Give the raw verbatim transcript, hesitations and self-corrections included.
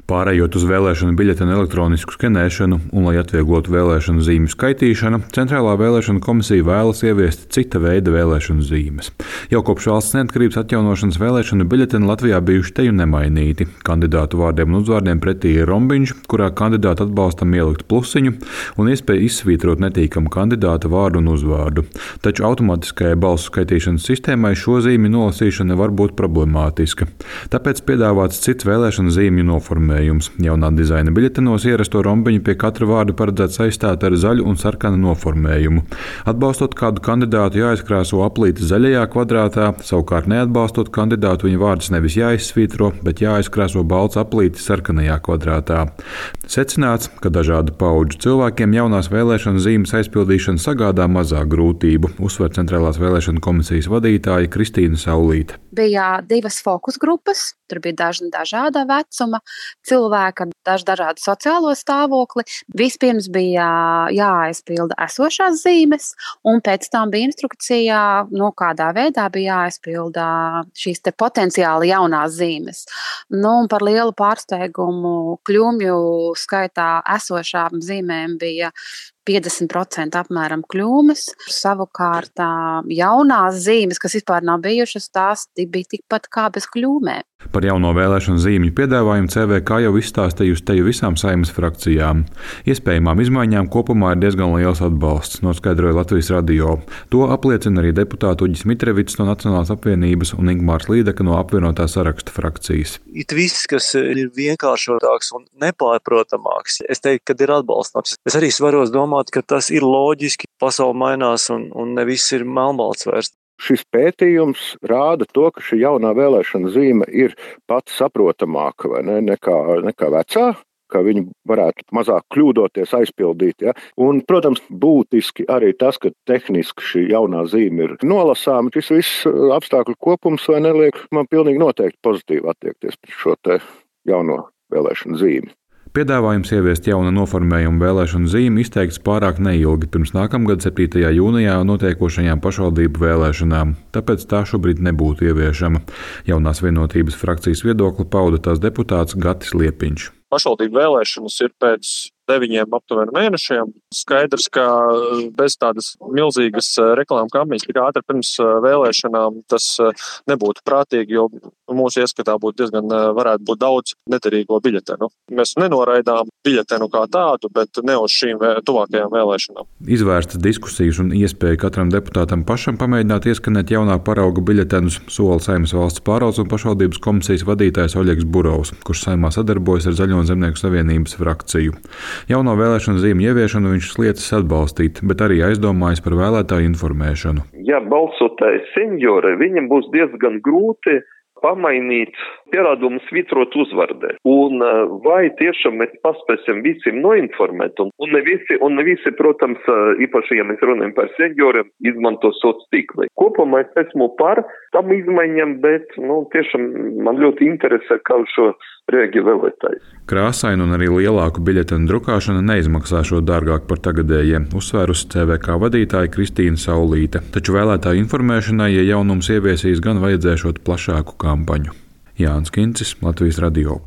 Pārējot uz vēlēšanu biļetenu elektronisku skenēšanu un, lai atvieglotu vēlēšanu zīmju skaitīšanu, Centrālā vēlēšanu komisija vēlas ieviest cita veida vēlēšanu zīmes. Jau kopš valsts neatkarības atjaunošanas vēlēšanu biļeteni Latvijā bijuši teju nemainīti. Kandidātu vārdiem un uzvārdiem pretī ir rombiņš, kurā kandidāta atbalstam ielikt plusiņu un iespēja izsvītrot netīkamu kandidāta vārdu un uzvārdu. Taču automātiskajai balsu skaitīšanas sistēmai šo zīmju nolasīšana var būt problemātiska. Tāpēc piedāvāts cits vēlēšanu zīmju noformējums. Jaunā dizaina biļetenos ierasto rombiņu pie katra vārda paredzēts aizstāt ar zaļu un sarkanu noformējumu. Atbalstot kādu kandidātu, jāizkrāso aplīte zaļajā kvadrātā, savukārt neatbalstot kandidātu, viņa vārds nevis jāizsvītro, bet jāizkrāso balts aplīte sarkanajā kvadrātā. Secināts, ka dažādu paudžu cilvēkiem jaunās vēlēšanu zīmes aizpildīšana sagādā mazāk grūtību, uzsver Centrālās vēlēšanu komisijas vadītāja Kristīna Saulīte. Bija divas fokus grupas, tur bija daži dažāda vecuma cilvēki ar daž dažādu sociālo stāvokli. Vispirms bija jāaizpilda esošās zīmes, un pēc tam bija instrukcijā, no kādā veidā bija jāaizpilda šīs te potenciāli jaunās zīmes. Nu, un par lielu pārsteigumu kļūmju skaitā esošām zīmēm bija piecdesmit procenti apmēram kļūmes. Savukārt jaunās zīmes, kas vispār nav bijušas, tās bija tikpat kā bez kļūmēm. Par jauno vēlēšanu zīmju piedāvājumu C V K jau izstāstījusi teju visām Saeimas frakcijām. Iespējamām izmaiņām kopumā ir diezgan liels atbalsts, noskaidroja Latvijas radio. To apliecina arī deputāti Uģis Mitrevits no Nacionālās apvienības un Ingmārs Līdeka no apvienotā saraksta frakcijas. It viss, kas ir vienkāršotāks un nepārprotamāks, es teiktu, ka ir atbalstāms. Es arī varos domāt, ka tas ir loģiski, pasaule mainās un, un ne viss ir melnbalts vairs. Šis pētījums rāda to, ka šī jaunā vēlēšana zīme ir pati saprotamāka vai ne, nekā, nekā vecā, ka viņi varētu mazāk kļūdoties aizpildīt. Ja? Un, protams, būtiski arī tas, ka tehniski šī jaunā zīme ir nolasāma. Šis viss apstākļu kopums vai neliek man pilnīgi noteikti pozitīvi attiekties pret šo te jauno vēlēšanu zīmi. Piedāvājums ieviest jaunu noformējumu vēlēšanu zīmi izteikts pārāk neilgi pirms nākamgad septītajā jūnijā notiekošajām pašvaldību vēlēšanām, tāpēc tā šobrīd nebūtu ieviešama. Jaunās vienotības frakcijas viedokli pauda tās deputāts Gatis Liepiņš. Pašvaldību vēlēšanas ir pēc deviņiem aptuveni mēnešiem. Skaidrs, ka bez tādas milzīgas reklāmas kampaņas tik ātri pirms vēlēšanām tas nebūtu prātīgi, jo mūsu ieskatā būtu diezgan varētu būt daudz neterīgo biļetenu. Mēs nenoraidām biļetenu kā tādu, bet ne uz šīm tuvākajām vēlēšanām. Izvērstas diskusijas un iespēja katram deputātam pašam pamēģināt ieskanēt jaunā parauga biļetenus sola Saeimas valsts pārvaldes un pašvaldības komisijas vadītājs Oļegs Burovs, kurš Saeimā sadarbojas ar Zaļo un Zemnieku savienības frakciju. Jauno vēlēšanu zīmju ieviešanu viņš sliecis atbalstīt, bet arī aizdomājas par vēlētāju informēšanu. Ja balsotāji seniori, viņam būs diezgan grūti pamainīt pierādumu svītrot uzvardē. Un vai tiešām mēs paspēsim visiem noinformēt, un, un, ne visi, un ne visi, protams, īpaši, ja mēs runājam par senioriem, izmanto sociālos tīklus. Kopumā es esmu par tam izmaiņām, bet, nu, tiešām man ļoti interesē, kā šo rēģi vēlētāji. Krāsainu un arī lielāku biļetenu drukāšana neizmaksā šo dārgāk par tagadējiem, uzsvērusi C V K vadītāja Kristīna Saulīte. Taču vēlētāju informēšanai, ja jaunums ieviesīs, gan vajadzēšot plašāku kampaņu. Jānis Kincis, Latvijas radio.